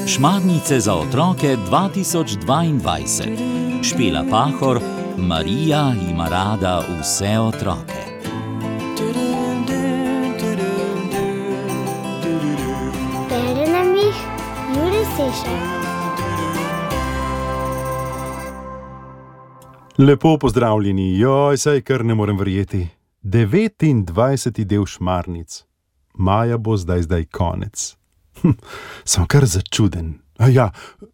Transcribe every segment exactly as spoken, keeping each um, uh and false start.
Šmarnice za otroke dva tisoč dvaindvajset. Špela Pahor, Marija ima rada vse otroke. Bere nam jih Jure Sešar. Lepo pozdravljeni, joj, saj kar ne morem verjeti. devetindvajseti del Šmarnic. Maja bo zdaj zdaj konec. Hm, sem kar začuden. A ja,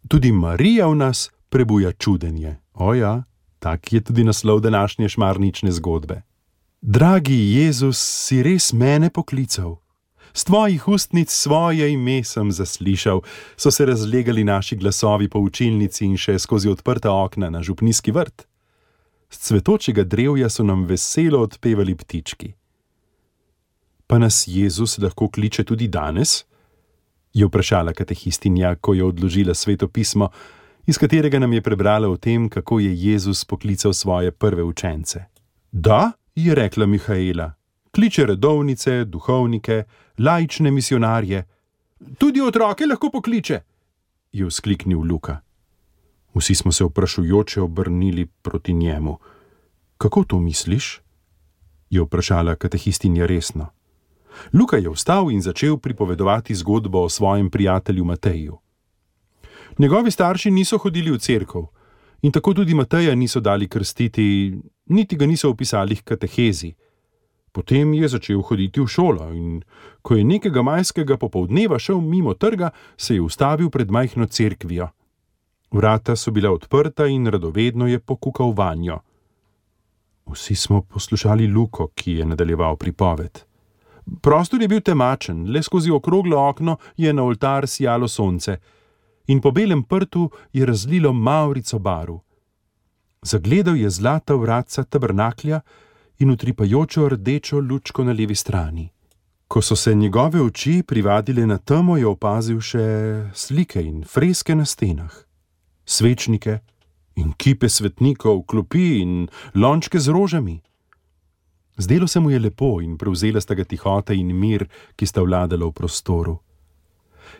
tudi Marija v nas prebuja čudenje. O ja, tak je tudi naslov današnje šmarnične zgodbe. Dragi Jezus, si res mene poklical. S tvojih ustnic svoje ime sem zaslišal, so se razlegali naši glasovi po učilnici in še skozi odprta okna na župnijski vrt. Z cvetočega drevja so nam veselo odpevali ptički. Pa nas Jezus lahko kliče tudi danes? Je vprašala katehistinja, ko je odložila Sveto pismo, iz katerega nam je prebrala o tem, kako je Jezus poklical svoje prve učence. Da, je rekla Mihaela, kliče redovnice, duhovnike, laične misionarje. Tudi otroke lahko pokliče, je vzkliknil Luka. Vsi smo se vprašujoče obrnili proti njemu. Kako to misliš? Je vprašala katehistinja resno. Luka je vstal in začel pripovedovati zgodbo o svojem prijatelju Mateju. Njegovi starši niso hodili v cerkev in tako tudi Mateja niso dali krstiti, niti ga niso vpisali h katehezi. Potem je začel hoditi v šolo in ko je nekega majskega popoldneva šel mimo trga, se je ustavil pred majhno cerkvijo. Vrata so bila odprta in radovedno je pokukal vanjo. Vsi smo poslušali Luko, ki je nadaljeval pripoved. Prostor je bil temačen, le skozi okroglo okno je na oltar sijalo sonce in po belem prtu je razlilo mavrico baru. Zagledal je zlata vratca tabernaklja in utripajočo rdečo lučko na levi strani. Ko so se njegove oči privadile na temo, je opazil še slike in freske na stenah. Svečnike in kipe svetnikov, klopi in lončke z rožami. Zdelo se mu je lepo in prevzela sta ga tihota in mir, ki sta vladala v prostoru.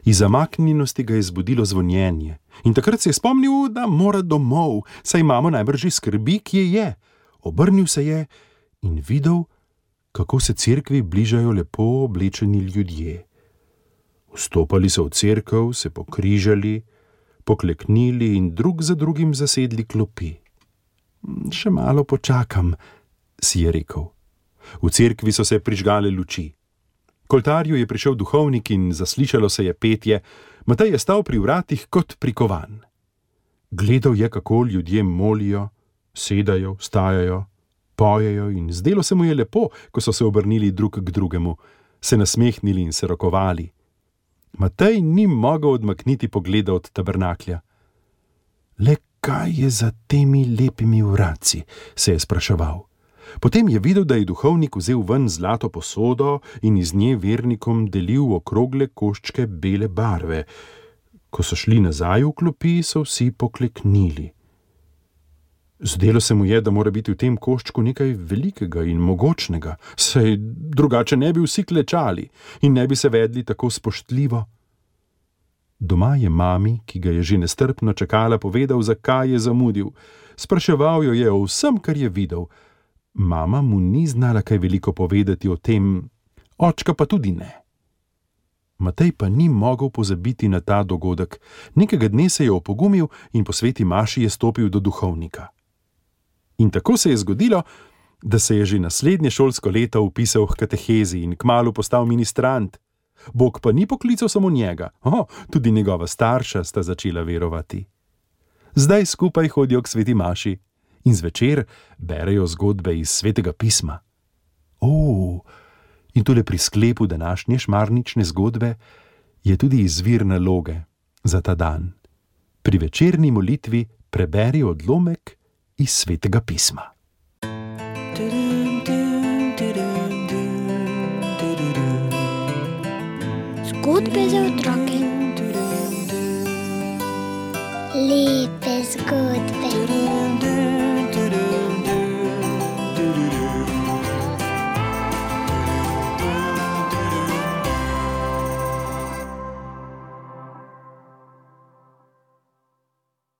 Iz zamaknjenosti ga je zbudilo zvonjenje in takrat se je spomnil, da mora domov, saj imamo najbrž skrbi, kje je. Obrnil se je in videl, kako se cerkvi bližajo lepo oblečeni ljudje. Vstopali so v cerkev, se pokrižali, pokleknili in drug za drugim zasedli klopi. Še malo počakam, si je rekel. V cerkvi so se prižgale luči. K oltarju je prišel duhovnik in zaslišalo se je petje. Matej je stal pri vratih kot prikovan. Gledal je, kako ljudje molijo, sedajo, vstajajo, pojejo in zdelo se mu je lepo, ko so se obrnili drug k drugemu, se nasmehnili in se rokovali. Matej ni mogel odmakniti pogleda od tabernaklja. Le kaj je za temi lepimi vratci, se je spraševal. Potem je videl, da je duhovnik vzel ven zlato posodo in iz nje vernikom delil okrogle koščke bele barve. Ko so šli nazaj v klopi, so vsi pokleknili. Zdelo se mu je, da mora biti v tem koščku nekaj velikega in mogočnega, saj drugače ne bi vsi klečali in ne bi se vedli tako spoštljivo. Doma je mami, ki ga je že nestrpno čakala, povedal, zakaj je zamudil. Spraševal jo je o vsem, kar je videl. Mama mu ni znala kaj veliko povedati o tem, očka pa tudi ne. Matej pa ni mogel pozabiti na ta dogodek. Nekega dne se je opogumil in po sveti maši je stopil do duhovnika. In tako se je zgodilo, da se je že naslednje šolsko leto vpisal h katehezi in kmalu postal ministrant. Bog pa ni poklical samo njega, o, tudi njegova starša sta začela verovati. Zdaj skupaj hodijo k sveti maši in zvečer berejo zgodbe iz svetega pisma. O, in tule pri sklepu današnje šmarnične zgodbe je tudi izvir naloge za ta dan. Pri večerni molitvi preberi odlomek iz svetega pisma. Zgodbe za otroke. Lepe zgodbe.